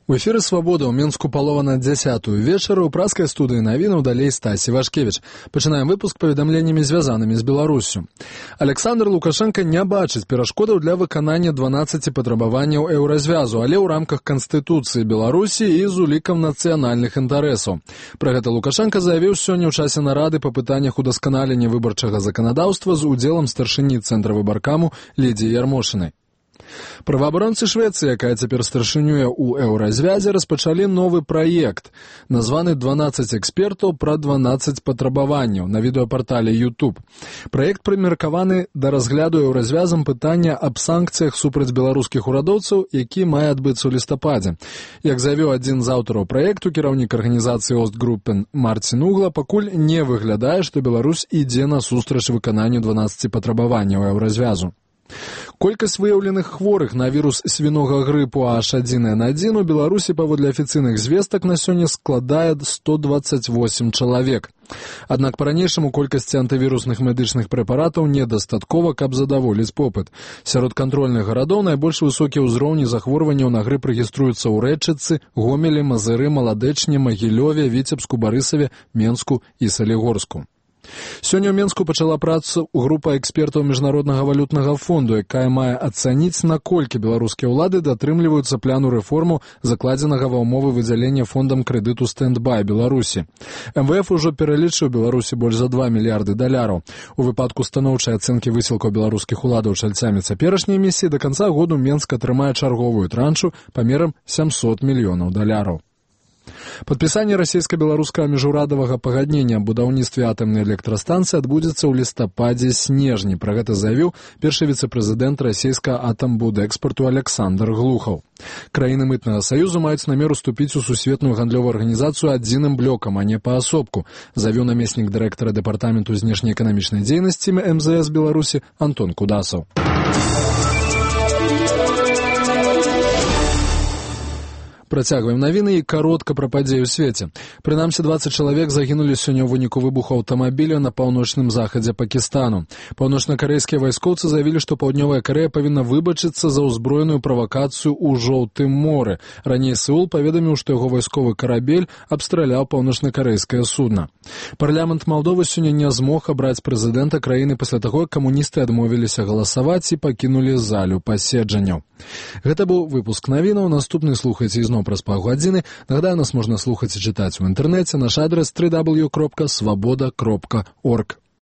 У эфіры «Свабода» ў Мінску палова на 10-ю вечара ў праскай студыі навінаў далей Стасі Вашкевіч. Пачынаем выпуск паведамленнямі, звязанымі з Беларуссю. Александр Лукашенко не бачыць перашкодаў для выканання 12 патрабаванняў еўразвязу, але ў рамках Канстытуцыі Беларусі і з улікам нацыянальных інтарэсаў. Пра гэта Лукашенко заявіў сёння ў часе нарады па пытаннях удасканалення выбарчага заканадаўства з удзелам старшыні Цэнтра выбаркаму Лідзіі Ярмошынай. Праваабаронцы Швецыі, якая цяпер старшынюе ў еўразвязе, распачалі новы праект, названы «12 экспертаў пра 12 патрабаванняў» на відэапартале YouTube. Праект прымеркаваны да разгляду еўразвязам пытання аб санкцыях супраць беларускіх урадоўцаў, які мае адбыцца ў лістападзе. Як заявіў адзін з аўтараў праекту, кіраўнік арганізацыі Остгруппен Марцін Угла, пакуль не выглядае, што Беларусь ідзе насустрач выкананню 12 патрабаванняў еўразвязу. Колькасць выяўленых хворых на вірус свінога грыпу H1N1 у Беларусі паводле афіцыйных звестак на сёння складае 128 чалавек. Аднак па-ранейшаму колькасці антывірусных медычных прэпаратаў недастаткова, каб задаволіць попыт. Сярод кантрольных гарадоў найбольш высокія ўзроўні захворванняў на грып рэгіструюцца ў Рэчыцы, Гомелі, Мазыры, Маладэчне, Магілёве, Віцебску, Барысаве, Менску і Салігорску. Сёння ў Менску пачала працу група экспертаў Міжнароднага валютнага фонду, якая мае ацаніць, наколькі беларускія ўлады датрымліваюцца пляну рэформу, закладзенага ва ўмовы выдзялення фондам крэдыту «Стэндбай» Беларусі. МВФ ужо пералічыў Беларусі больш за 2 мільярды даляраў. У выпадку станоўчай ацэнкі высілкаў беларускіх уладаў чальцамі цяперашняй місіі да канца году Менск атрымае чарговую траншу памерам 700 мільёнаў даляраў. Падпісанне расійска-беларускага міжурадавага пагаднення аб будаўніцтве атамнай электрастанцыі адбудзецца ў лістападзе-снежні. Пра гэта заявіў першы віцэ-прэзідэнт расійскага атамбудэкспарту Александр Глухаў. Краіны мытнага саюзу маюць намер уступіць у сусветную гандлёвую арганізацыю адзіным блокам, а не паасобку, заявіў намеснік дырэктара дэпартаменту знешнеэканамічнай дзейнасці МЗС Беларусі Антон Кудасаў. Працягваем навіны і каротка пра падзеі ў свеце. Прынамсі 20 чалавек загінулі сёння ў выніку выбуху аўтамабіля на паўночным захадзе Пакістану. Паўночнакарэйскія вайскоўцы заявілі, што Паўднёвая Карэя павінна выбачыцца за ўзброеную правакацыю ў Жоўтым моры. Раней Сеул паведаміў, што яго вайсковы карабель абстраляў паўночнакарэйскае судна. Парламент Малдовы сёння не змог абраць прэзідэнта краіны пасля таго, як камуністы адмовіліся галасаваць і пакінулі залю паседжанняў. Гэта быў выпуск навінаў. Наступны слухайце ізноў праз паўгадзіны. Нагадаю, нас можна слухаць і чытаць у інтэрнэце. Наш адрес www.svoboda.org.